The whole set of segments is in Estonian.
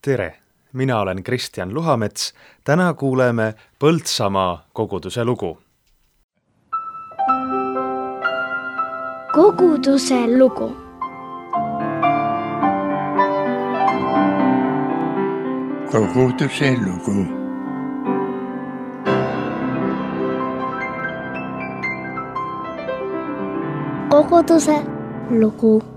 Tere! Mina olen Kristjan Luhamets. Täna kuuleme Põltsamaa koguduse lugu. Koguduse lugu. Koguduse lugu. Koguduse lugu.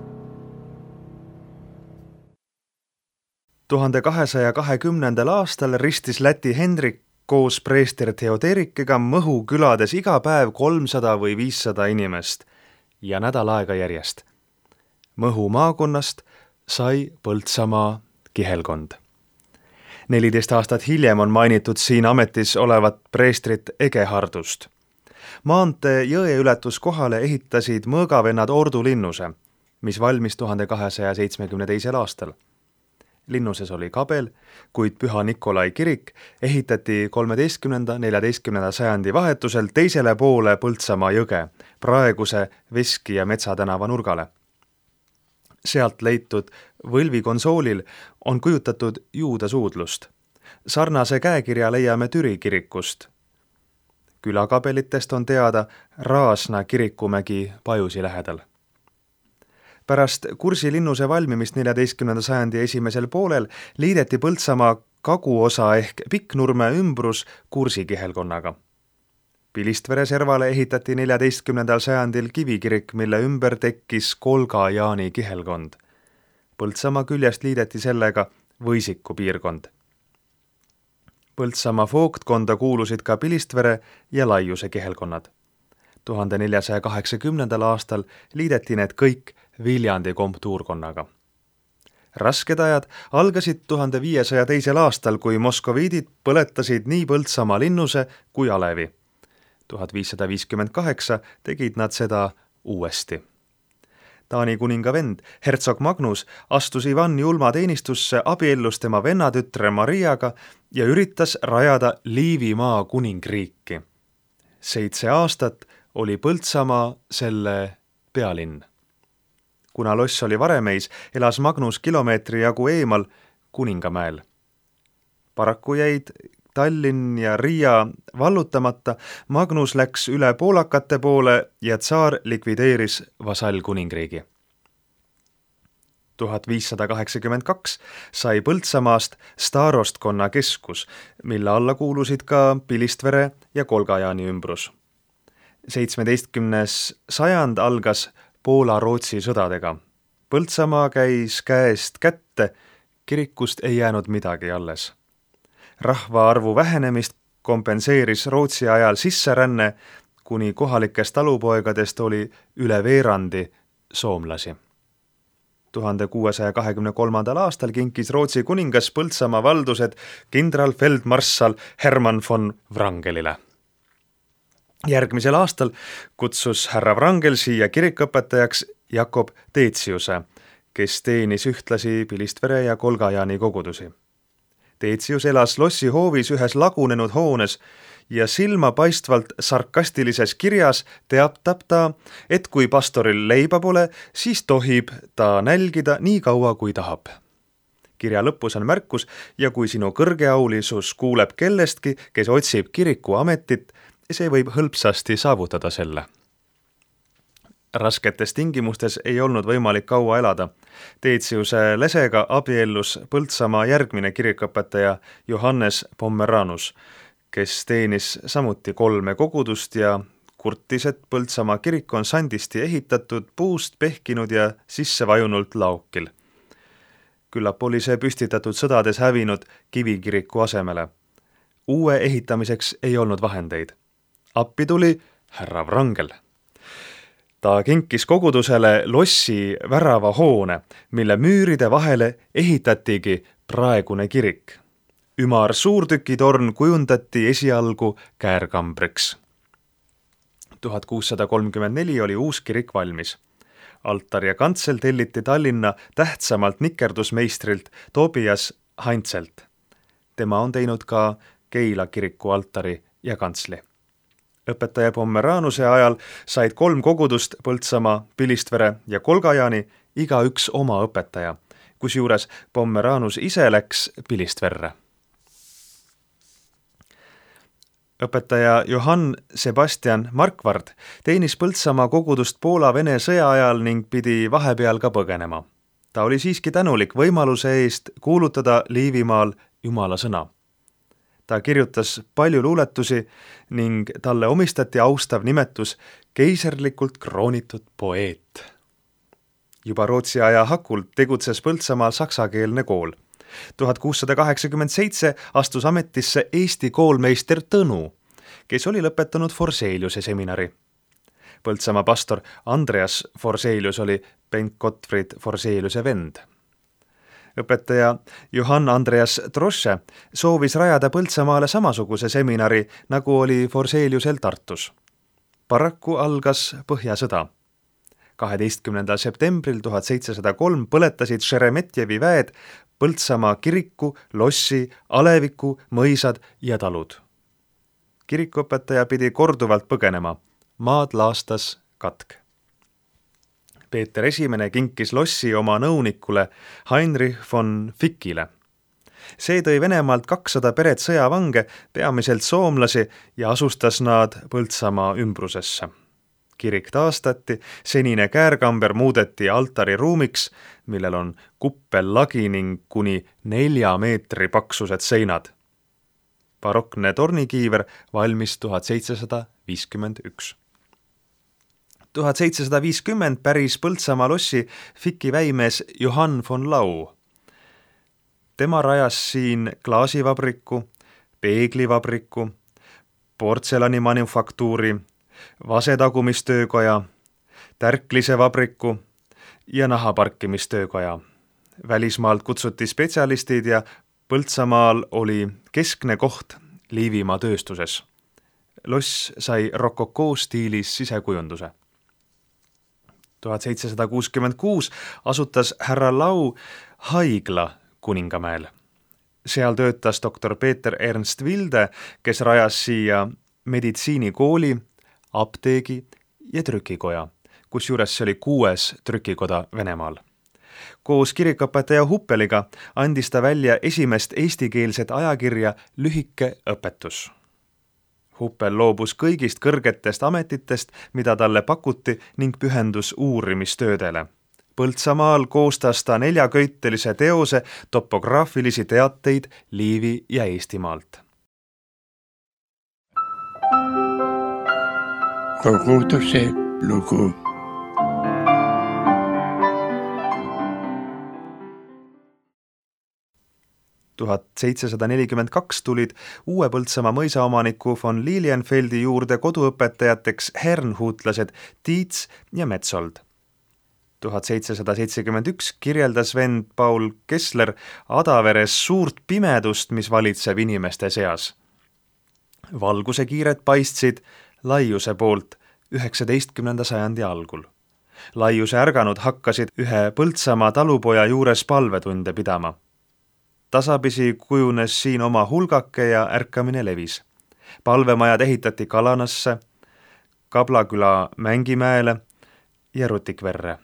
1220. aastal ristis Läti Hendrik koos preester Theoderikiga Mõhu külades iga päev 300 või 500 inimest ja nädal aega järjest. Mõhu maakonnast sai Põltsamaa kihelkond. 14 aastat hiljem on mainitud siin ametis olevat preestrit Egehardust. Maantee jõeületuskohale ehitasid mõõgavennad Ordu linnuse, mis valmis 1272. aastal. Linnuses oli kabel, kuid Püha Nikolai kirik ehitati 13.–14. sajandi vahetusel teisele poole Põltsamaa jõge, praeguse Veski ja Metsa tänava nurgale. Sealt leitud võlvikonsoolil on kujutatud Juuda suudlust. Sarnase käekirja leiame Türi kirikust. Külakabelitest on teada Raasna kirikumägi Pajusi lähedal. Pärast Kursi linnuse valmimist 14. sajandi esimesel poolel liideti Põltsamaa kaguosa ehk Pikknurme ümbrus Kursi kihelkonnaga. Pilistvere servale ehitati 14. sajandil kivikirik, mille ümber tekkis Kolga-Jaani kihelkond. Põltsamaa küljest liideti sellega Võisiku piirkond. Põltsamaa vooktkonda kuulusid ka Pilistvere ja Laiuse kihelkonnad. 1480. aastal liideti need kõik Viljandi komptuurkonnaga. Rasked ajad algasid 1502. aastal, kui moskoviidid põletasid nii Põltsamaa linnuse kui alevi. 1558 tegid nad seda uuesti. Taani kuninga vend, hertsog Magnus, astus Ivan Julma teenistusse, abiellus tema vennatütre Mariaga ja üritas rajada Liivimaa kuningriiki. 7 aastat oli Põltsamaa selle pealinn. Kuna loss oli Varemeis, elas Magnus kilomeetri jagu eemal Kuningamäel. Paraku jäid Tallinn ja Riia vallutamata, Magnus läks üle poolakate poole ja tsaar likvideeris vasallkuningriigi. 1582 sai Põltsamaast staarostkonna keskus, mille alla kuulusid ka Pilistvere ja Kolga-Jaani ümbrus. 17. sajand algas Poola-Rootsi sõdadega. Põltsamaa käis käest kätte, kirikust ei jäänud midagi alles. Rahvaarvu vähenemist kompenseeris Rootsi ajal sisseränne, kuni kohalikest talupoegadest oli üle veerandi soomlasi. 1623. aastal kinkis Rootsi kuningas Põltsamaa valdused kindralfeldmarssal Hermann von Wrangelile. Järgmisel aastal kutsus härra Wrangel siia kirikõpetajaks Jakob Teetsiuse, kes teenis ühtlasi Pilistvere ja Kolga-Jaani kogudusi. Teetsius elas lossi hoovis ühes lagunenud hoones ja silmapaistvalt sarkastilises kirjas teatab ta, et kui pastoril leiba pole, siis tohib ta nälgida nii kaua, kui tahab. Kirja lõpus on märkus ja kui sinu kõrgeaulisus kuuleb kellestki, kes otsib kirikuametit, see võib hõlpsasti saavutada selle. Rasketes tingimustes ei olnud võimalik kaua elada. Teetsiuse lesega abiellus Põltsamaa järgmine kirikõpetaja Johannes Pommeranus, kes teenis samuti 3 kogudust ja kurtis, et Põltsamaa kirik on sandisti ehitatud, puust pehkinud ja sissevajunult laokil. Küllap oli see püstitatud sõdades hävinud kivikiriku asemele. Uue ehitamiseks ei olnud vahendeid. Appi tuli härra Wrangel. Ta kinkis kogudusele lossi värava hoone, mille müüride vahele ehitatigi praegune kirik. Ümar suurtükitorn kujundati esialgu käärkambriks. 1634 oli uus kirik valmis. Altar ja kantsel telliti Tallinna tähtsamalt nikerdusmeistrilt Tobias Heinzelt. Tema on teinud ka Keila kiriku altari ja kantsli. Õpetaja Pommeranuse ajal said 3 kogudust Põltsamaa, Pilistvere ja Kolga-Jaani igaüks oma õpetaja, kusjuures Pomeranus ise läks Pilistverre. Õpetaja Johann Sebastian Markvard teenis Põltsamaa kogudust Poola-Vene sõja ajal ning pidi vahepeal ka põgenema. Ta oli siiski tänulik võimaluse eest kuulutada Liivimaal Jumala sõna. Ta kirjutas palju luuletusi ning talle omistati austav nimetus keiserlikult kroonitud poeet. Juba Rootsi aja hakul tegutses Põltsamaal saksakeelne kool. 1687 astus ametisse Eesti koolmeister Tõnu, kes oli lõpetanud Forseliuse seminari. Põltsamaa pastor Andreas Forselius oli Bengt Gottfried Forseliuse vend. Õpetaja Johann Andreas Trosse soovis rajada Põltsamaale samasuguse seminari, nagu oli Forseliusel Tartus. Paraku algas Põhjasõda. 12. septembril 1703 põletasid Šeremetjevi väed Põltsamaa kiriku, lossi, aleviku, mõisad ja talud. Kirikuõpetaja pidi korduvalt põgenema. Maad laastas katk. Peeter I kinkis lossi oma nõunikule Heinrich von Fickile. See tõi Venemaalt 200 peret sõjavange, peamiselt soomlasi, ja asustas nad Põltsamaa ümbrusesse. Kirik taastati, senine käärkamber muudeti altari ruumiks, millel on kuppellagi ning kuni 4 meetri paksused seinad. Barokne tornikiiver valmis 1751. 1750 päris Põltsamaa lossi Ficki väimees Johann von Lau. Tema rajas siin klaasivabriku, peeglivabriku, portselanimanufaktuuri, vasetagumistöökoja, tärklise vabriku ja nahaparkimistöökoja. Välismaalt kutsuti spetsialistid ja Põltsamaal oli keskne koht Liivimaa tööstuses. Loss sai rokokoo stiilis sisekujunduse. 1766 asutas härra Lau haigla Kuningamäel. Seal töötas doktor Peeter Ernst Vilde, kes rajas siia meditsiinikooli, apteegi ja trükikoja, kusjuures see oli 6. trükikoda Venemaal. Koos kirikuõpetaja Huppeliga andis ta välja esimest eestikeelset ajakirja Lühike õpetus. Huppel loobus kõigist kõrgetest ametitest, mida talle pakuti, ning pühendus uurimistöödele. Põltsamaal koostas ta 4-köitelise teose topograafilisi teateid Liivi ja Eestimaalt. Koguduse lugu. Tuhat 1742 tulid uue Põltsamaa mõisaomaniku von Lilienfeldi juurde koduõpetajateks hernhuutlased Tiits ja Metsold. 1771 kirjeldas vend Paul Kessler Adaveres suurt pimedust, mis valitseb inimeste seas. Valguse kiired paistsid Laiuse poolt 19. sajandi algul. Laiuse ärganud hakkasid ühe Põltsamaa talupoja juures palvetunde pidama. Tasapisi kujunes siin oma hulgake ja ärkamine levis. Palvemajad ehitati Kalanasse, Kablaküla Mängimäele ja Rutikverre.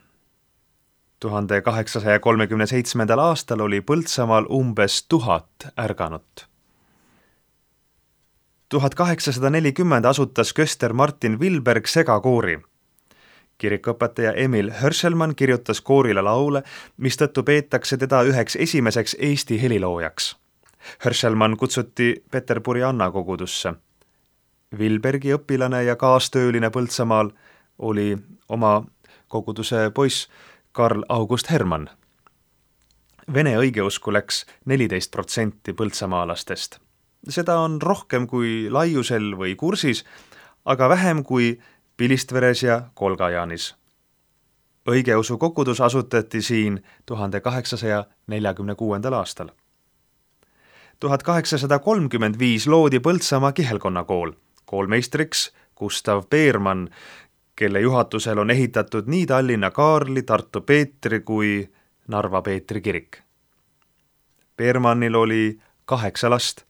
1837. aastal oli Põltsamaal umbes 1000 ärganut. 1840 asutas köster Martin Vilberg segakoori. Kirikuõpetaja Emil Hörselmann kirjutas koorile laule, mistõttu peetakse teda üheks esimeseks Eesti heliloojaks. Hörselmann kutsuti Peterburi Anna kogudusse. Vilbergi õpilane ja kaastööline Põltsamaal oli oma koguduse poiss Karl August Hermann. Vene õigeusku läks 14% põltsamaalastest. Seda on rohkem kui Laiusel või Kursis, aga vähem kui Pilistveres ja Kolgajaanis. Õigeusu kogudus asutati siin 1846. aastal. 1835 loodi Põltsamaa kihelkonnakool, koolmeistriks Gustav Beermann, kelle juhatusel on ehitatud nii Tallinna Kaarli, Tartu Peetri kui Narva Peetri kirik. Beermannil oli 8 last.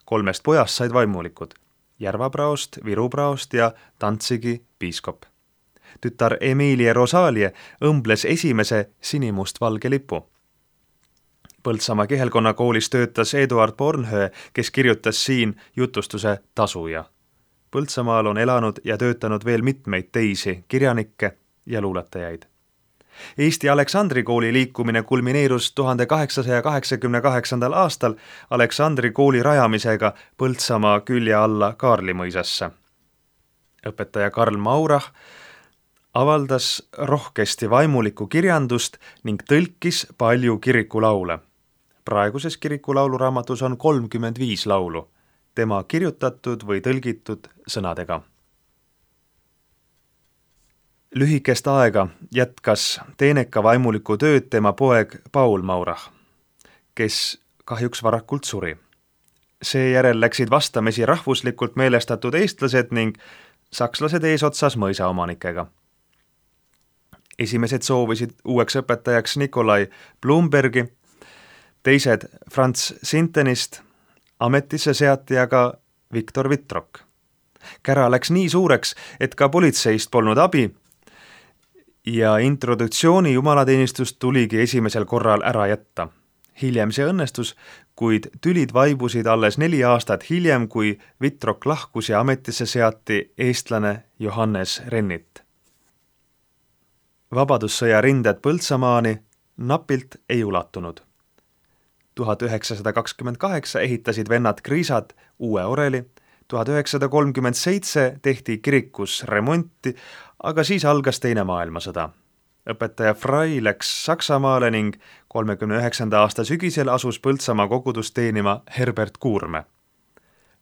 3 pojast said vaimulikud, Järvapraost, Virupraost ja Tantsigi piiskop. Tütar Emilie Rosalie õmbles esimese sinimustvalge lipu. Põltsamaa Kihelkonna koolis töötas Eduard Bornhöö, kes kirjutas siin jutustuse Tasuja. Põltsamaal on elanud ja töötanud veel mitmeid teisi kirjanikke ja luuletajaid. Eesti Aleksandri kooli liikumine kulmineerus 1888. aastal Aleksandri kooli rajamisega Põltsamaa külje alla Kaarlimõisasse. Õpetaja Karl Maurach avaldas rohkesti vaimulikku kirjandust ning tõlkis palju kirikulaule. Praeguses kirikulauluraamatus on 35 laulu, tema kirjutatud või tõlgitud sõnadega. Lühikest aega jätkas teeneka vaimuliku tööd tema poeg Paul Maurach, kes kahjuks varakult suri. Seejärel läksid vastamisi rahvuslikult meelestatud eestlased ning sakslased eesotsas mõisaomanikega. Esimesed soovisid uueks õpetajaks Nikolai Blumbergi, teised Franz Sintenist, ametisse seati aga Viktor Vittrok. Kära läks nii suureks, et ka politseist polnud abi ja introdutsiooni jumalateenistust tuligi esimesel korral ära jätta. Hiljem see õnnestus, kuid tülid vaibusid alles 4 aastat hiljem, kui Vittrok lahkus ja ametisse seati eestlane Johannes Rennit. Vabadussõja rinded Põltsamaani napilt ei ulatunud. 1928 ehitasid vennad Kriisad uue oreli, 1937 tehti kirikus remonti, aga siis algas Teine maailmasõda. Õpetaja Frey läks Saksamaale ning 39. aasta sügisel asus Põltsamaa kogudust teenima Herbert Kuurme.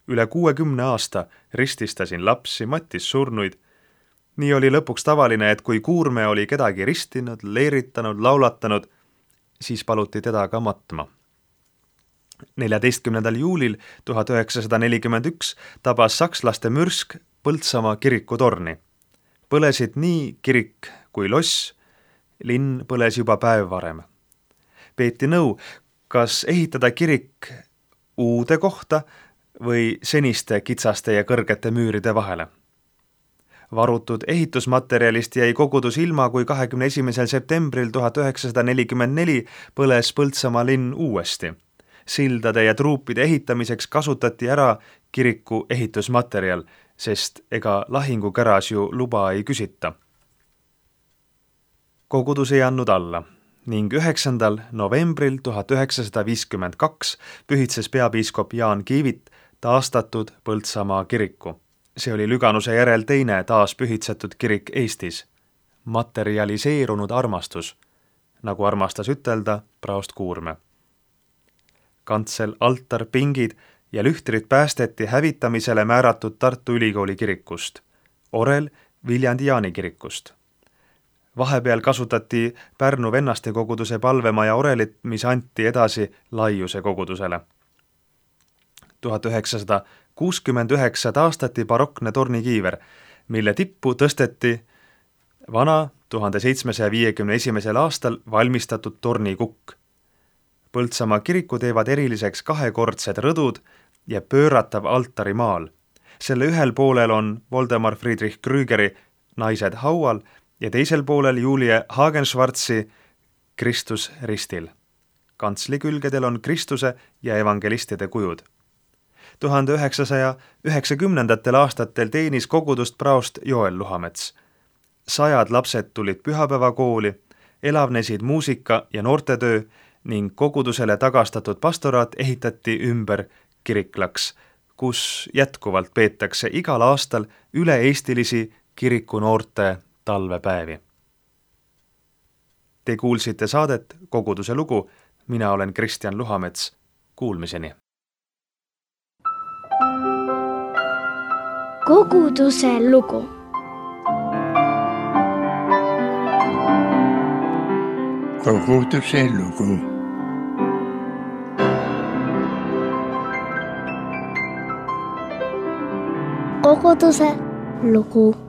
Üle 60 aasta rististasin lapsi, mattis surnuid. Nii oli lõpuks tavaline, et kui Kuurme oli kedagi ristinud, leeritanud, laulatanud, siis paluti teda ka matma. 14. juulil 1941 tabas sakslaste mürsk Põltsamaa kirikutorni. Põlesid nii kirik kui loss, linn põles juba päev varem. Peeti nõu, kas ehitada kirik uude kohta või seniste kitsaste ja kõrgete müüride vahele. Varutud ehitusmaterjalist jäi kogudus ilma, kui 21. septembril 1944 põles Põltsamaa linn uuesti. Sildade ja truupide ehitamiseks kasutati ära kiriku ehitusmaterjal, sest ega lahingukäras ju luba ei küsita. Kogudus ei andnud alla ning 9. novembril 1952 pühitses peapiiskop Jaan Kiivit taastatud Põltsamaa kiriku. See oli Lüganuse järel teine taas pühitsetud kirik Eestis. Materialiseerunud armastus, nagu armastas ütelda praost Kuurme. Kantsel, altar, pingid ja lühtrid päästeti hävitamisele määratud Tartu Ülikooli kirikust, orel Viljandi Jaani kirikust. Vahepeal kasutati Pärnu vennaste koguduse palvemaja orelit, mis anti edasi Laiuse kogudusele. 1969 taastati barokne tornikiiver, mille tippu tõsteti vana 1751. aastal valmistatud tornikukk. Põltsamaa kiriku teevad eriliseks 2-kordsed rõdud ja pööratav altarimaal. Selle ühel poolel on Voldemar Friedrich Krügeri Naised haual ja teisel poolel Julie Hagenschwarzi Kristus ristil. Kantsli külgedel on Kristuse ja evangelistide kujud. 1990. aastatel teenis kogudust praost Joel Luhamets. 100 lapsed tulid pühapäevakooli, elavnesid muusika ja noortetöö ning kogudusele tagastatud pastoraat ehitati ümber kiriklaks, kus jätkuvalt peetakse igal aastal üle-eestilisi kirikunoorte talvepäevi. Te kuulsite saadet Koguduse lugu, mina olen Kristjan Luhamets, kuulmiseni. Koguduse lugu. Koguduse lugu. Koguduse lugu.